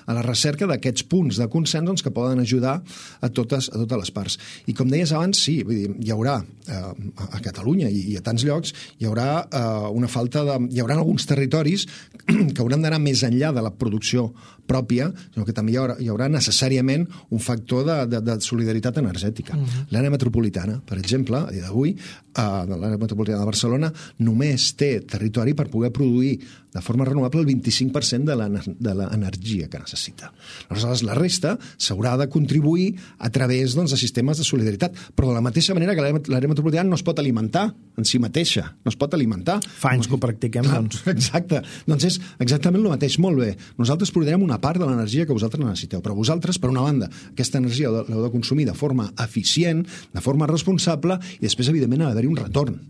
D: a la recerca d'aquests punts de consens doncs, que poden ajudar a totes les parts. I com deies abans, sí, vull dir, hi haurà a Catalunya i a tants llocs hi haurà hi haurà alguns territoris que hauran d'anar més enllà de la producció pròpia, sinó que també hi haurà necessàriament un factor de solidaritat energètica. L'àrea metropolitana, per exemple, a dia d'avui, l'àrea metropolitana de Barcelona només té territori per poder produir de forma renovable el 25% de l'energia que necessita. Aleshores, la resta s'haurà de contribuir a través de sistemes de solidaritat, però de la mateixa manera que l'àrea metropolitana no es pot alimentar en si mateixa, no es pot alimentar.
C: Fa anys que ho practiquem, doncs.
D: Exacte. Doncs és exactament el mateix. Molt bé. Nosaltres produirem una part de l'energia que vosaltres necessiteu, però vosaltres, per una banda, aquesta energia l'heu de consumir de forma eficient, de forma responsable, i després, evidentment, ha d'haver-hi un retorn.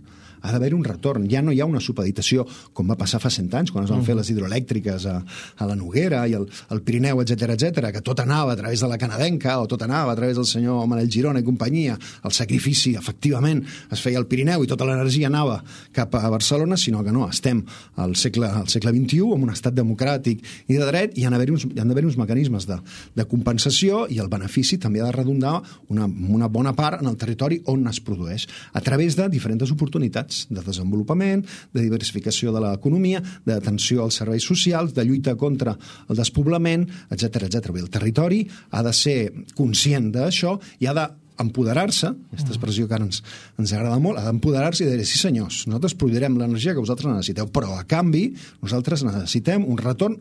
D: Ha d'haver un retorn. Ja no hi ha una supeditació, com va passar fa 100 anys, quan es van fer les hidroelèctriques a la Noguera i al Pirineu, etc, que tot anava a través de la canadenca, o tot anava a través del senyor Manel Girona i companyia. El sacrifici, efectivament, es feia al Pirineu i tota l'energia anava cap a Barcelona, sinó que no, estem al segle XXI, en un estat democràtic i de dret, i hi han d'haver uns mecanismes de compensació, i el benefici també ha de redundar una bona part en el territori on es produeix, a través de diferents oportunitats de desenvolupament, de diversificació de l'economia, d'atenció als serveis socials, de lluita contra el despoblament, etc. El territori ha de ser conscient d'això i ha d'empoderar-se, aquesta expressió que ara ens agrada molt, ha d'empoderar-se i de dir, sí senyors, nosaltres produirem l'energia que vosaltres necessiteu, però a canvi nosaltres necessitem un retorn,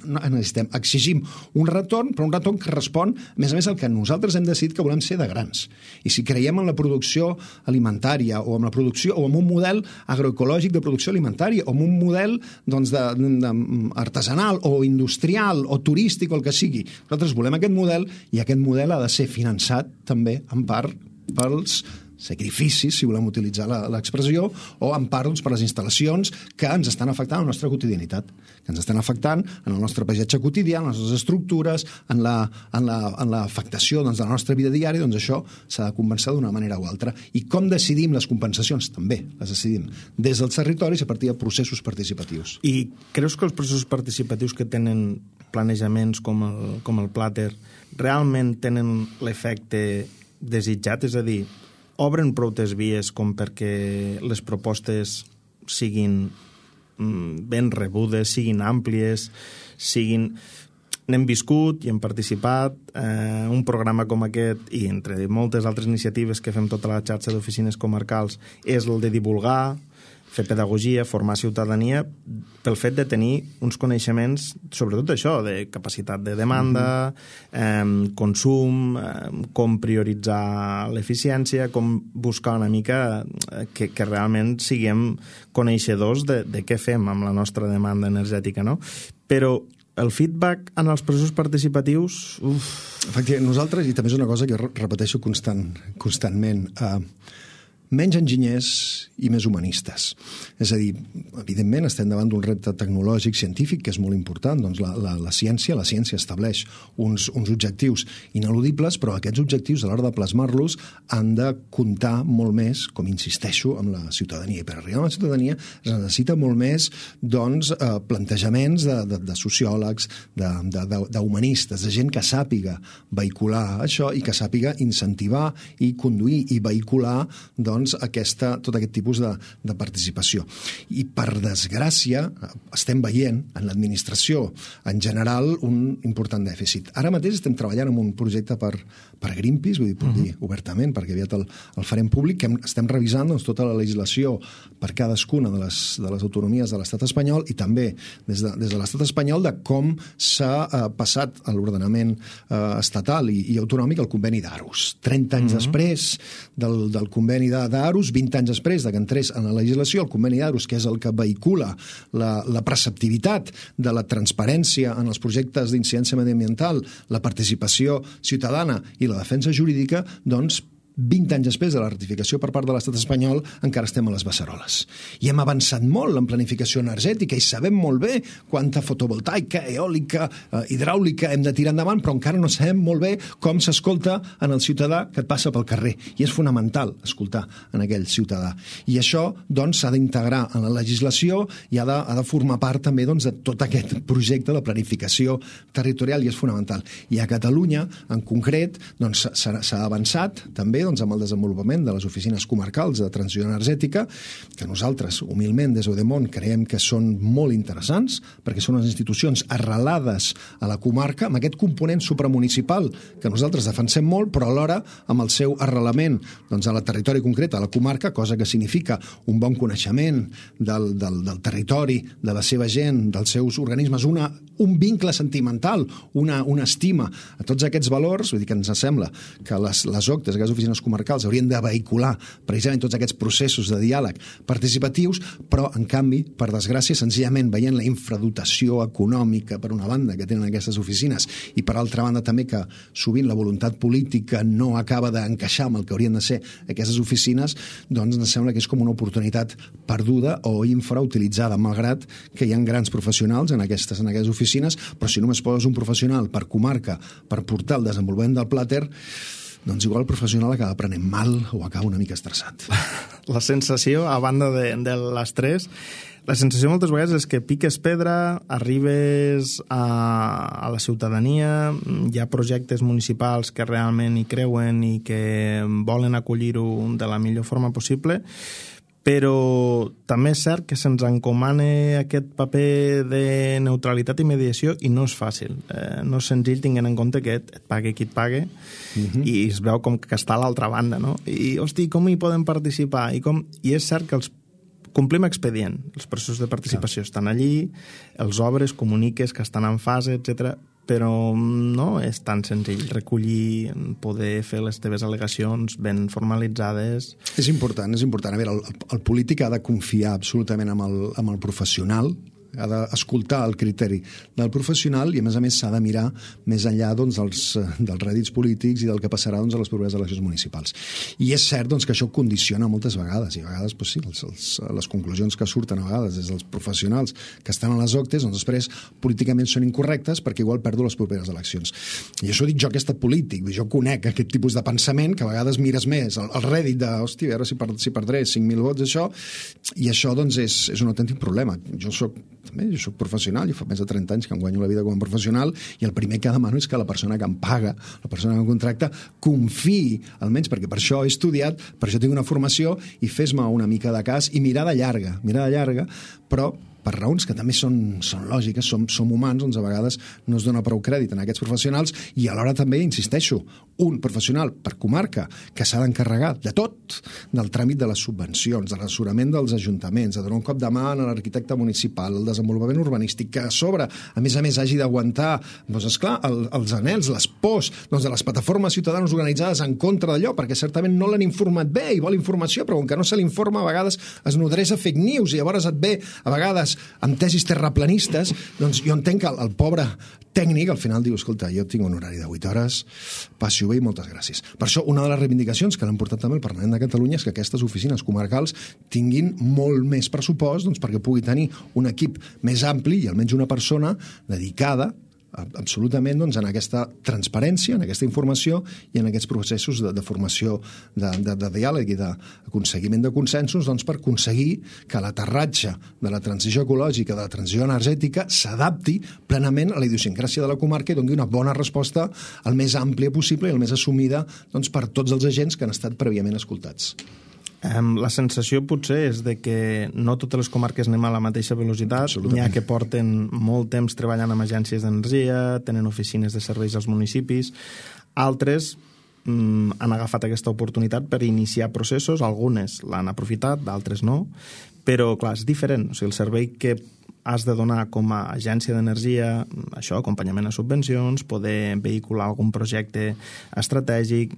D: exigim un retorn, però un retorn que respon, a més al que nosaltres hem decidit que volem ser de grans. I si creiem en la producció alimentària o en la producció o en un model agroecològic de producció alimentària o en un model artesanal o industrial o turístic o el que sigui, nosaltres volem aquest model, i aquest model ha de ser finançat també en part pels sacrificis, si volem utilitzar l'expressió, o en part per les instal·lacions que ens estan afectant a la nostra quotidianitat, que ens estan afectant en el nostre paisatge quotidià, en les nostres estructures, en l'afectació de la nostra vida diària. Doncs això s'ha de compensar d'una manera o altra. I com decidim les compensacions? També les decidim des dels territoris a partir de processos participatius.
C: I creus que els processos participatius que tenen planejaments com el Plater realment tenen l'efecte desitjat? És a dir, obren proutes vies com perquè les propostes siguin ben rebudes, siguin àmplies, n'hem viscut i hem participat. Un programa com aquest, i entre moltes altres iniciatives que fem tota la xarxa d'oficines comarcals, és el de divulgar, fer pedagogia, formar ciutadania, pel fet de tenir uns coneixements, sobretot això, de capacitat de demanda, consum, com prioritzar l'eficiència, com buscar una mica que realment siguem coneixedors de què fem amb la nostra demanda energètica, no? Però el feedback en els processos participatius...
D: Efectivament, nosaltres, i també és una cosa que repeteixo constantment, menys enginyers i més humanistes. És a dir, evidentment estem davant d'un repte tecnològic, científic, que és molt important. Doncs la ciència estableix uns objectius ineludibles, però aquests objectius, a l'hora de plasmar-los, han de comptar molt més, com insisteixo, amb la ciutadania. I per arribar a la ciutadania es necessita molt més plantejaments de sociòlegs, d'humanistes, de gent que sàpiga vehicular això i que sàpiga incentivar i conduir i vehicular tot aquest tipus de participació. I, per desgràcia, estem veient en l'administració en general un important dèficit. Ara mateix estem treballant en un projecte per Greenpeace, vull dir, puc dir obertament, perquè aviat el farem públic, que estem revisant tota la legislació per cadascuna de les autonomies de l'estat espanyol i també des de l'estat espanyol de com s'ha passat a l'ordenament estatal i autonòmic el conveni d'Aarhus. 30 anys després del conveni d'Aarhus, 20 anys després que entrés en la legislació, el conveni d'Aarhus, que és el que vehicula la preceptivitat de la transparència en els projectes d'incidència mediambiental, la participació ciutadana i la defensa jurídica, doncs 20 anys després de la ratificació per part de l'estat espanyol encara estem a les beceroles. I hem avançat molt en planificació energètica i sabem molt bé quanta fotovoltaica, eòlica, hidràulica hem de tirar endavant, però encara no sabem molt bé com s'escolta en el ciutadà que et passa pel carrer. I és fonamental escoltar en aquell ciutadà. I això doncs s'ha d'integrar en la legislació i ha de formar part també de tot aquest projecte de planificació territorial i és fonamental. I a Catalunya, en concret, doncs s'ha avançat també amb el desenvolupament de les oficines comarcals de transició energètica, que nosaltres, humilment, des d'Eudemont, creiem que són molt interessants, perquè són unes institucions arrelades a la comarca, amb aquest component supramunicipal que nosaltres defensem molt, però alhora amb el seu arrelament a la territori concret, a la comarca, cosa que significa un bon coneixement del territori, de la seva gent, dels seus organismes, un vincle sentimental, una estima a tots aquests valors. Vull dir que ens sembla que les OCTEs, aquestes oficines comarcals, haurien de vehicular precisament tots aquests processos de diàleg participatius, però, en canvi, per desgràcia, senzillament veient la infradotació econòmica, per una banda, que tenen aquestes oficines, i per altra banda també que sovint la voluntat política no acaba d'encaixar amb el que haurien de ser aquestes oficines, doncs ens sembla que és com una oportunitat perduda o infrautilitzada, malgrat que hi ha grans professionals en aquestes oficines, però si només poses un professional per comarca per portar el desenvolupament del Plater, doncs igual el professional acaba prenent mal o acaba una mica estressat.
C: La sensació, a banda de l'estrès, la sensació moltes vegades és que piques pedra, arribes a la ciutadania, hi ha projectes municipals que realment hi creuen i que volen acollir-ho de la millor forma possible, però també és cert que se'ns encomana aquest paper de neutralitat i mediació i no és fàcil. No és senzill tinguent en compte que et pague qui et pague i es veu com que està a l'altra banda, no? I, hosti, com hi podem participar? I és cert que complim expedient. Els processos de participació estan allí, els obres, comuniques que estan en fase, etc. Però no és tan senzill recollir, poder fer les teves al·legacions ben formalitzades.
D: És important. A veure, el polític ha de confiar absolutament amb el professional ha d'escoltar el criteri del professional i, a més, s'ha de mirar més enllà doncs, dels rèdits polítics i del que passarà doncs, a les properes eleccions municipals. I és cert doncs, que això condiciona moltes vegades, i a vegades pues, sí, les conclusions que surten a vegades des dels professionals que estan a les OCTEs, doncs després políticament són incorrectes perquè igual perdo les properes eleccions. I això dic jo que he estat polític, jo conec aquest tipus de pensament que a vegades mires més el rèdit de, hòstia, a veure si perdré 5.000 vots, això, i això doncs, és un autèntic problema. Jo soc professional, jo fa més de 30 anys que em guanyo la vida com a professional i el primer que demano és que la persona que em paga, la persona que em contracta, confiï, almenys perquè per això he estudiat, per això tinc una formació i fes-me una mica de cas i mirada llarga, però per raons que també són lògiques, som humans, doncs a vegades no es dona prou crèdit a aquests professionals i alhora també, insisteixo, un professional per comarca que s'ha d'encarregar de tot, del tràmit de les subvencions, de l'assessorament dels ajuntaments, de donar un cop de mà a l'arquitecte municipal, el desenvolupament urbanístic, que a sobre, a més, hagi d'aguantar, doncs esclar, els anhels, les pors doncs, de les plataformes ciutadanes organitzades en contra d'allò, perquè certament no l'han informat bé i vol informació, però com que no se l'informa, a vegades es nodreix a fake news i llavors et ve, a vegades, amb tesis terraplanistes, doncs jo entenc que el pobre tècnic al final diu, escolta, jo tinc un horari de 8 hores, passi-ho bé i moltes gràcies. Per això, una de les reivindicacions que l'han portat també al Parlament de Catalunya és que aquestes oficines comarcals tinguin molt més pressupost doncs, perquè pugui tenir un equip més ampli i almenys una persona dedicada absolutament doncs, en aquesta transparència, en aquesta informació i en aquests processos de formació, de diàleg i d'aconseguiment de consensos doncs, per aconseguir que l'aterratge de la transició ecològica, de la transició energètica, s'adapti plenament a la idiosincràsia de la comarca i doni una bona resposta el més àmplia possible i el més assumida doncs, per tots els agents que han estat prèviament escoltats.
C: La sensació potser és de que no totes les comarques anem a la mateixa velocitat. N'hi ha que porten molt temps treballant amb agències d'energia, tenen oficines de serveis als municipis. Altres han agafat aquesta oportunitat per iniciar processos, algunes l'han aprofitat, d'altres no, però clar, és diferent. O sigui, el servei que has de donar com a agència d'energia, això, acompanyament a subvencions, poder vehicular algun projecte estratègic,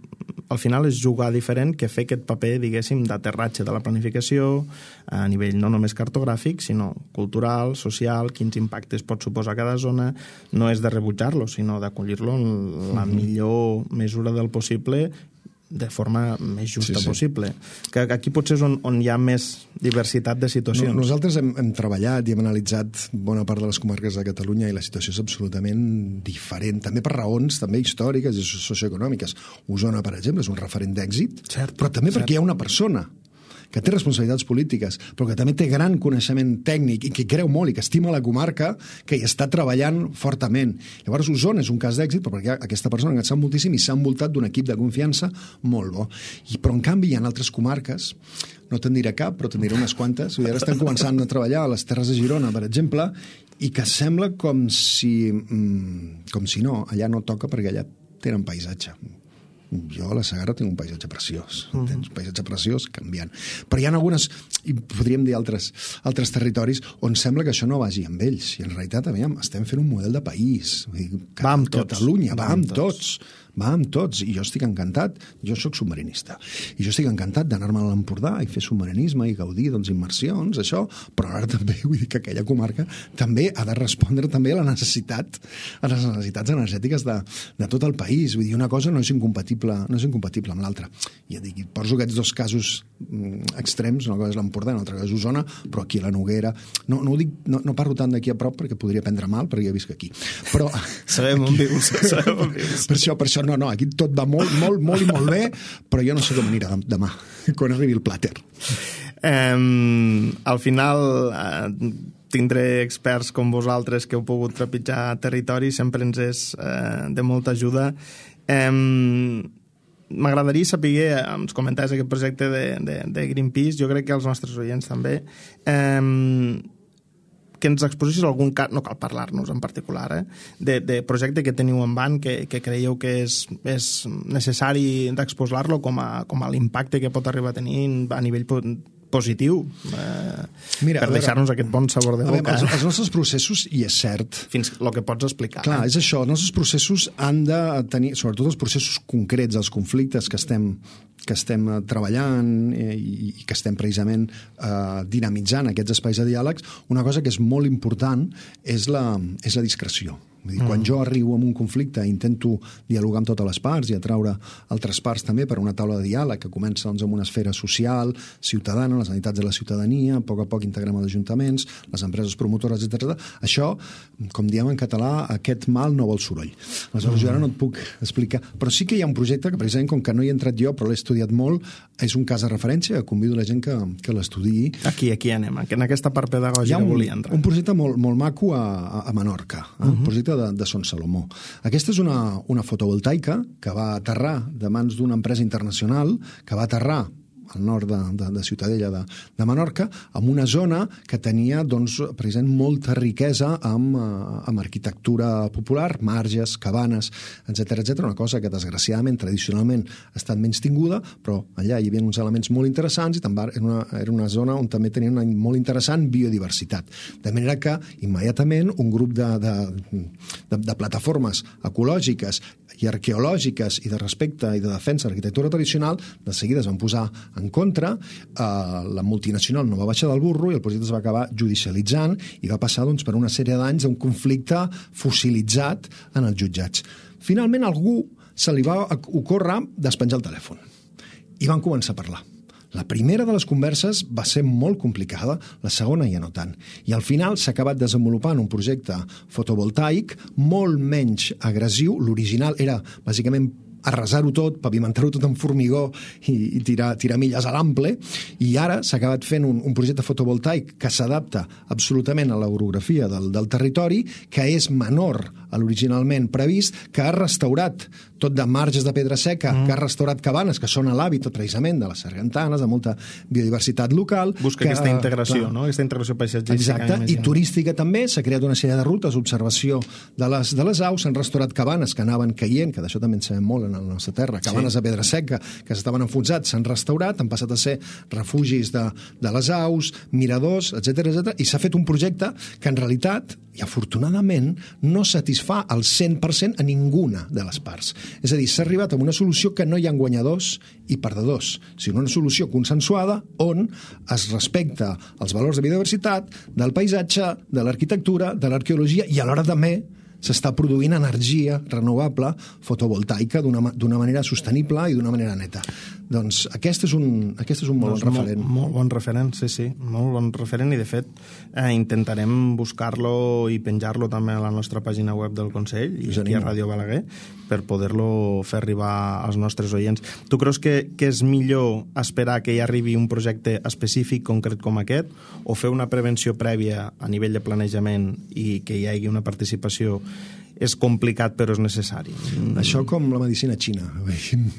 C: al final és jugar diferent que fer aquest paper, diguéssim, d'aterratge de la planificació a nivell no només cartogràfic, sinó cultural, social, quins impactes pot suposar cada zona, no és de rebutjar-lo, sinó d'acollir-lo en la millor mesura del possible de forma més justa possible. Que aquí potser és on hi ha més diversitat de situacions.
D: Nosaltres hem treballat i hem analitzat bona part de les comarques de Catalunya i la situació és absolutament diferent, també per raons també històriques i socioeconòmiques. Osona, per exemple, és un referent d'èxit, però també perquè hi ha una persona que té responsabilitats polítiques, però que també té gran coneixement tècnic i que creu molt i que estima la comarca, que hi està treballant fortament. Llavors, Osona és un cas d'èxit, però perquè aquesta persona ha sap moltíssim i s'ha envoltat d'un equip de confiança molt bo. Però, en canvi, hi ha altres comarques, no te'n diré cap, però te'n diré unes quantes, i ara estan començant a treballar a les Terres de Girona, per exemple, i que sembla com si no, allà no toca perquè allà tenen paisatge. Jo a la Segarra tinc un paisatge preciós, un paisatge preciós canviant. Però hi ha algunes, i podríem dir altres territoris, on sembla que això no vagi amb ells. I en realitat, estem fent un model de país.
C: Va amb tots.
D: Catalunya, va amb tots. Va amb tots, i jo estic encantat, jo sóc submarinista, i jo estic encantat d'anar-me a l'Empordà i fer submarinisme i gaudir immersions, això, però ara també vull dir que aquella comarca també ha de respondre també a les necessitats energètiques de tot el país. Vull dir, una cosa no és incompatible amb l'altra. Ja dic, poso aquests dos casos extrems, una cosa és l'Empordà, una altra cosa és Osona, però aquí a la Noguera, no parlo tant d'aquí a prop perquè podria prendre mal, perquè ja visc aquí. Però
C: sabem on vius.
D: Per això no, aquí tot va molt i molt bé, però jo no sé com anirà demà, quan arribi el plàter.
C: Al final tindré experts com vosaltres que heu pogut trepitjar territori, sempre ens és de molta ajuda. M'agradaria saber, ens comentaves aquest projecte de Greenpeace, jo crec que els nostres oients també, que ens exposessis algun cas, no cal parlar-nos en particular, de projecte que teniu en van, que creieu que és necessari d'exposar-lo com a l'impacte que pot arribar a tenir a nivell positiu, per deixar-nos aquest bon sabor de boca.
D: Els nostres processos, i és cert...
C: Fins el que pots explicar.
D: Clar, és això, els nostres processos han de tenir, sobretot els processos concrets, els conflictes que estem estem treballant i que estem precisament dinamitzant aquests espais de diàlegs, una cosa que és molt important és la discreció. Vull dir, quan jo arribo a un conflicte i intento dialogar amb totes les parts i atraure altres parts també per una taula de diàleg que comença doncs, amb una esfera social, ciutadana, les entitats de la ciutadania, a poc integrem els ajuntaments, les empreses promotores, etc. Això, com diem en català, aquest mal no vol soroll. Aleshores, jo ara no et puc explicar, però sí que hi ha un projecte que precisament, com que no hi he entrat jo, però l'he estudiat molt, és un cas de referència, convido la gent que l'estudiï.
C: Aquí anem, en aquesta part pedagògica volia entrar.
D: Hi ha un projecte molt maco a Menorca, un projecte de Son Salomó. Aquesta és una fotovoltaica que va aterrar de mans d'una empresa internacional, que va aterrar al nord de Ciutadella de Menorca, amb una zona que tenia, doncs, precisament molta riquesa amb arquitectura popular, marges, cabanes, etc. Una cosa que, desgraciadament, tradicionalment ha estat menys tinguda, però allà hi havia uns elements molt interessants i també era una zona on també tenia una molt interessant biodiversitat. De manera que, immediatament, un grup de plataformes ecològiques i arqueològiques i de respecte i de defensa de l'arquitectura tradicional, de seguida es van posar en contra, la multinacional no va baixar del burro i el projecte es va acabar judicialitzant i va passar doncs, per una sèrie d'anys d'un conflicte fossilitzat en els jutjats. Finalment, a algú se li va ocórrer despenjar el telèfon i van començar a parlar. La primera de les converses va ser molt complicada, la segona ja no tant. I al final s'ha acabat desenvolupant un projecte fotovoltaic molt menys agressiu. L'original era, bàsicament, arrasar-ho tot, pavimentar-ho tot amb formigó i tirar milles a l'ample, i ara s'ha acabat fent un projecte fotovoltaic que s'adapta absolutament a l'orografia del territori, que és menor a l'originalment previst, que ha restaurat tot de marges de pedra seca, que ha restaurat cabanes, que són a l'hàbitat precisament de les sargantanes, de molta biodiversitat local.
C: Busca aquesta integració, no? Aquesta integració paisatgística.
D: Exacte, i turística també, s'ha creat una sèrie de rutes, observació de les aus, s'han restaurat cabanes que anaven caient, que d'això també en sabem molt en la nostra terra, cabanes de pedra seca que s'estaven enfonsats, s'han restaurat, han passat a ser refugis de les aus, miradors, etc. I s'ha fet un projecte que en realitat, i afortunadament, no satisfà al 100% a ninguna de les parts. És a dir, s'ha arribat a una solució que no hi ha guanyadors i perdedors, sinó una solució consensuada on es respecta els valors de biodiversitat, del paisatge, de l'arquitectura, de l'arqueologia, i alhora també s'està produint energia renovable fotovoltaica d'una manera sostenible i d'una manera neta. Doncs aquest és un molt bon referent.
C: Molt bon referent, sí, molt bon referent, i de fet intentarem buscar-lo i penjar-lo també a la nostra pàgina web del Consell i aquí a Ràdio Balaguer per poder-lo fer arribar als nostres oients. Tu creus que és millor esperar que hi arribi un projecte específic, concret com aquest, o fer una prevenció prèvia a nivell de planejament i que hi hagi una participació? És complicat, però és necessari.
D: Això com la medicina xina.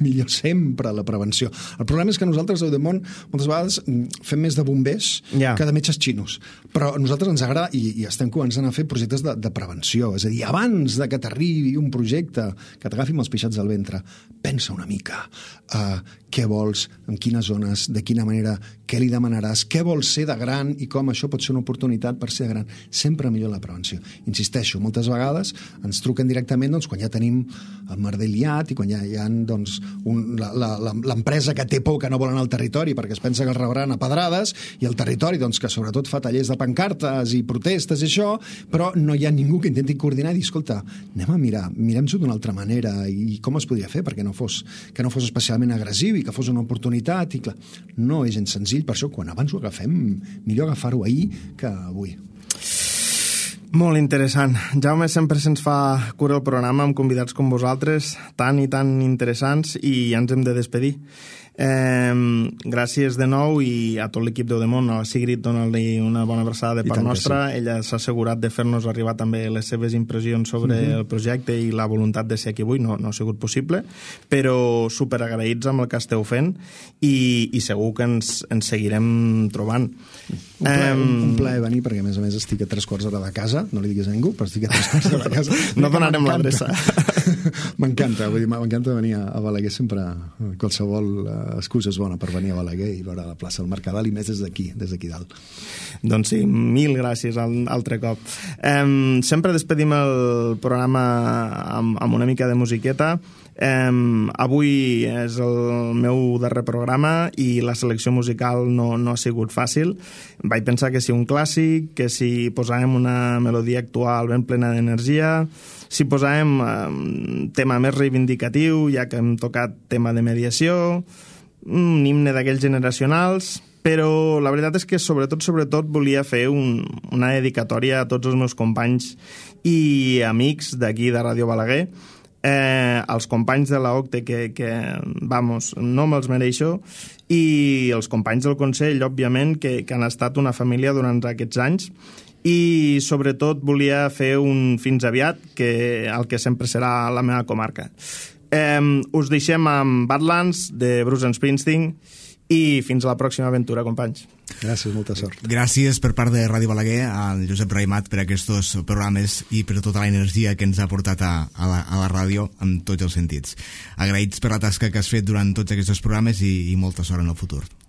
D: Millor sempre la prevenció. El problema és que nosaltres, a Eudemont, moltes vegades fem més de bombers que de metges xinos. Però a nosaltres ens agrada, i estem començant a fer projectes de prevenció. És a dir, abans de que t'arribi un projecte que t'agafi amb els pixats del ventre, pensa una mica què vols, en quines zones, de quina manera, què li demanaràs, què vols ser de gran i com això pot ser una oportunitat per ser de gran. Sempre millor la prevenció. Insisteixo, moltes vegades ens truquen directament quan ja tenim el merder liat i quan ja hi ha l'empresa que té por, que no vol anar al territori perquè es pensa que el rebran a pedrades, i el territori que sobretot fa tallers de pancartes i protestes i això, però no hi ha ningú que intenti coordinar i dir, escolta, mirem-s'ho d'una altra manera i com es podria fer perquè no fos especialment agressiu i que fos una oportunitat, i clar, no és gens senzill. Per això, quan abans ho agafem, millor agafar-ho ahir que avui.
C: Molt interessant. Jaume, sempre se'ns fa cura el programa amb convidats com vosaltres, tan i tan interessants, i ja ens hem de despedir. Gràcies de nou, i a tot l'equip d'Eudemont, a la Sigrid, dona-li una bona abraçada de part nostra. Sí. Ella s'ha assegurat de fer-nos arribar també les seves impressions sobre el projecte i la voluntat de ser aquí avui. No ha sigut possible, però superagraïts amb el que esteu fent, i segur que ens seguirem trobant.
D: Un plaer venir, perquè a més estic a 3/4 hora de casa, no li diguis a ningú, però estic a 3/4 hora de casa.
C: No donarem l'adreça.
D: M'encanta venir a Balaguer sempre. Qualsevol excusa és bona per venir a Balaguer i veure la plaça del Mercadal, i més des d'aquí dalt.
C: Doncs sí, mil gràcies altre cop. Sempre despedim el programa amb una mica de musiqueta. Avui és el meu darrer programa i la selecció musical no ha sigut fàcil. Vaig pensar que si un clàssic, que si posàvem una melodia actual ben plena d'energia, si posàvem un tema més reivindicatiu, ja que hem tocat tema de mediació, un himne d'aquells generacionals, però la veritat és que sobretot volia fer una dedicatòria a tots els meus companys i amics d'aquí de Ràdio Balaguer, els companys de la OCTE que vamos, no me'ls mereixo, i els companys del Consell, òbviament, que han estat una família durant aquests anys, i sobretot volia fer un fins aviat, el que sempre serà la meva comarca. Us deixem amb Badlands de Bruce Springsteen i fins a la pròxima aventura, companys.
D: Gràcies, molta sort.
B: Gràcies per part de Ràdio Balaguer al Josep Raimat per aquests programes i per tota la energia que ens ha portat a la ràdio en tots els sentits. Agraïts per la tasca que has fet durant tots aquests programes i molta sort en el futur.
E: Understand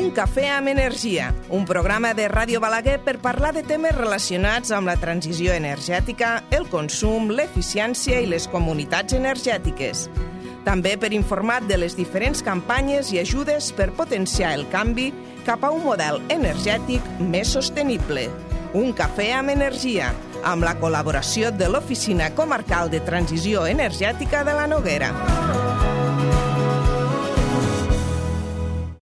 A: Un cafè amb energia, un programa de Ràdio Balaguer per parlar de temes relacionats amb la transició energètica, el consum, l'eficiència i les comunitats energètiques. També per informar de les diferents campanyes i ajudes per potenciar el canvi cap a un model energètic més sostenible. Un cafè amb energia, amb la col·laboració de l'Oficina Comarcal de Transició Energètica de la Noguera.